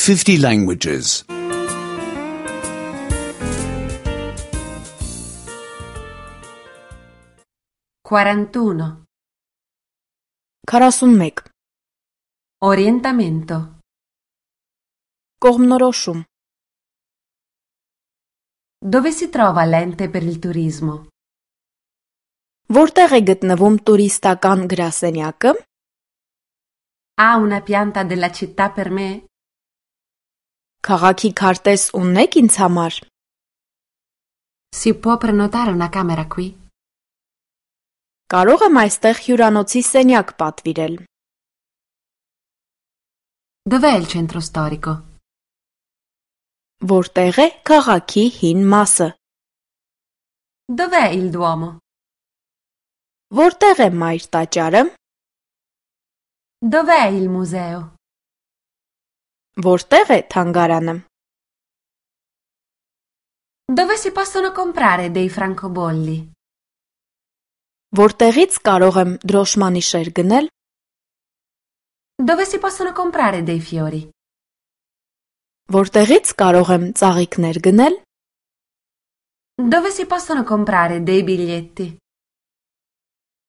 50 languages. 41. 41. Orientamento. Կողմնորոշում. Dove si trova l'ente per il turismo? Որտեղ է գտնվում տուրիստական գրասենյակը? Ha una pianta della città per me? Քաղաքի քարտեզ ունեք ինձ համար? Si può prenotare una camera qui? Կարող եմ այստեղ հյուրանոցի սենյակ պատվիրել? Dov'è il centro storico? Որտեղ է քաղաքի հին մասը? Dov'è il Duomo? Որտեղ է մայր տաճարը? Dov'è il museo? Որտեղ է թանգարանը? Dove si possono comprare dei francobolli? Որտեղից կարող եմ դրոշմանիշեր գնել? Dove si possono comprare dei fiori? Որտեղից կարող եմ ծաղիկներ գնել? Dove si possono comprare dei biglietti?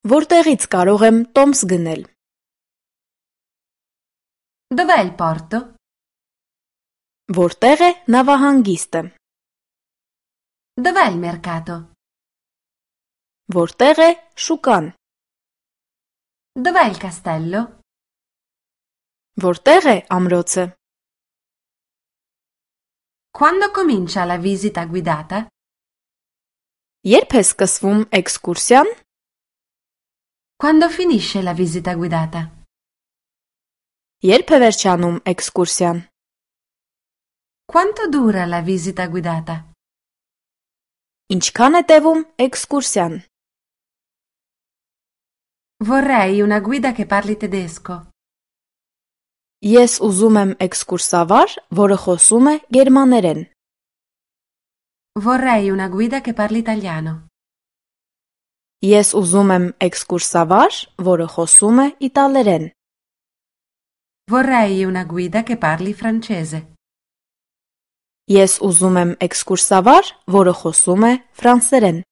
Որտեղից կարող եմ տոմս գնել? Dov'è il porto? Որտեղ է նավահանգիստը? Dov'è il mercato? Որտեղ է շուկան? Dov'è il castello? Որտեղ է ամրոցը? Quando comincia la visita guidata? Երբ է սկսվում էքսկուրսիան? Quando finisce la visita guidata? Երբ է վերջանում էքսկուրսիան? Quanto dura la visita guidata? Ինչքան է տևում էքսկուրսիան? Vorrei una guida che parli tedesco. Ես ուզում եմ էքսկուրսավար, որը խոսում է գերմաներեն. Vorrei una guida che parli italiano. Ես ուզում եմ էքսկուրսավար, որը խոսում է իտալերեն. Vorrei una guida che parli francese. Ես ուզում եմ էքսկուրսավար, որը խոսում է ֆրանսերեն.